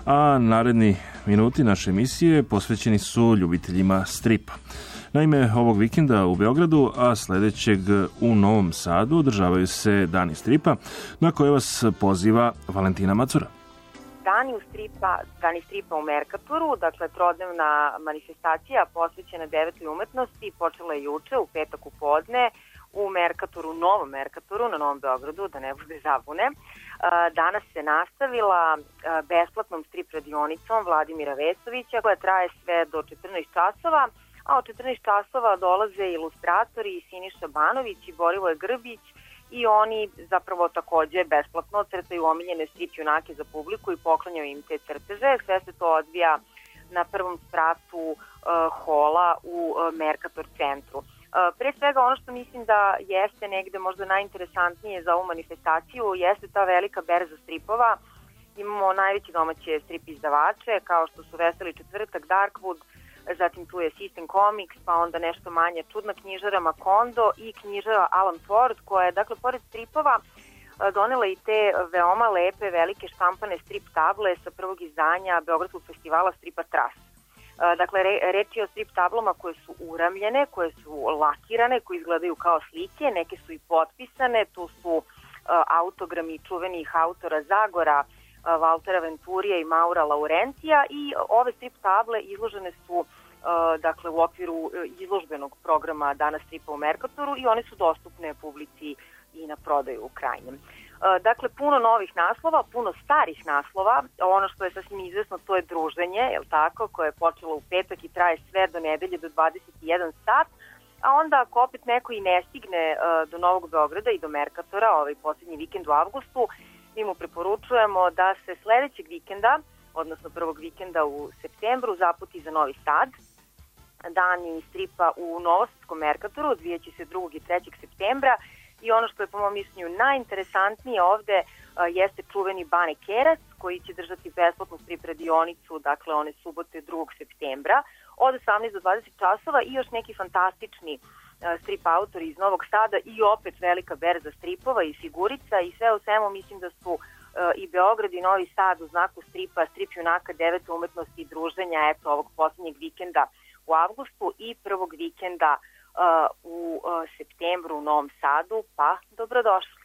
a naredni minuti naše emisije posvećeni su ljubiteljima stripa. Naime, ovog vikenda u Beogradu, a sledećeg u Novom Sadu održavaju se Dani stripa, na koje vas poziva Valentina Macura. Dani stripa u Merkatoru, dakle trodnevna manifestacija posvećena 9. umetnosti, počela je juče u petak u podne u Merkatoru, Novom Merkatoru na Novom Beogradu, da ne bude zabune. Danas se nastavila besplatnom strip radionicom Vladimira Vesovića koja traje sve do 14 časova, a od 14 časova dolaze ilustratori Siniša Banović i Borivoje Grbić i oni zapravo takođe besplatno crtaju omiljene strip junake za publiku i poklanjaju im te crteže. Sve se to odvija na prvom spratu hola u Merkator centru. Pre svega ono što mislim da jeste negde možda najinteresantnije za ovu manifestaciju jeste ta velika berza stripova. Imamo najveće domaće strip izdavače kao što su Veseli četvrtak, Darkwood, zatim tu je System Comics, pa onda nešto manje čudna knjižara Macondo i knjižara Alan Ford koja je, dakle, pored stripova donela i te veoma lepe velike štampane strip table sa prvog izdanja Beogradskog festivala stripa Tras. Dakle, reč je o strip tablama koje su uramljene, koje su lakirane, koje izgledaju kao slike, neke su i potpisane, tu su autogrami čuvenih autora Zagora, Valtera Venturija i Maura Laurentija i ove strip table izložene su dakle u okviru izložbenog programa Dana stripa u Merkatoru i one su dostupne publici i na prodaju u krajnjem. Dakle, puno novih naslova, puno starih naslova, ono što je sasvim izvesno to je druženje, jel tako, koje je počelo u petak i traje sve do nedelje do 21 sat, a onda ako opet neko i ne stigne do Novog Beograda i do Merkatora, ovaj posljednji vikend u avgustu, mi mu preporučujemo da se sledećeg vikenda, odnosno prvog vikenda u septembru, zaputi za Novi Sad. Dani stripa u Novosadskom Merkatoru odvijaće se 2. i 3. septembra i ono što je po mom mišljenju najinteresantnije ovde jeste čuveni Bane Kerac koji će držati besplatnu strip radionicu, dakle one subote 2. septembra od 18 do 20 časova i još neki fantastični strip autori iz Novog Sada i opet velika berza stripova i figurica i sve u svemu mislim da su i Beograd i Novi Sad u znaku stripa, strip junaka 9. umetnosti i druženja eto ovog posljednjeg vikenda u avgustu i prvog vikenda u septembru u Novom Sadu, pa dobrodošli.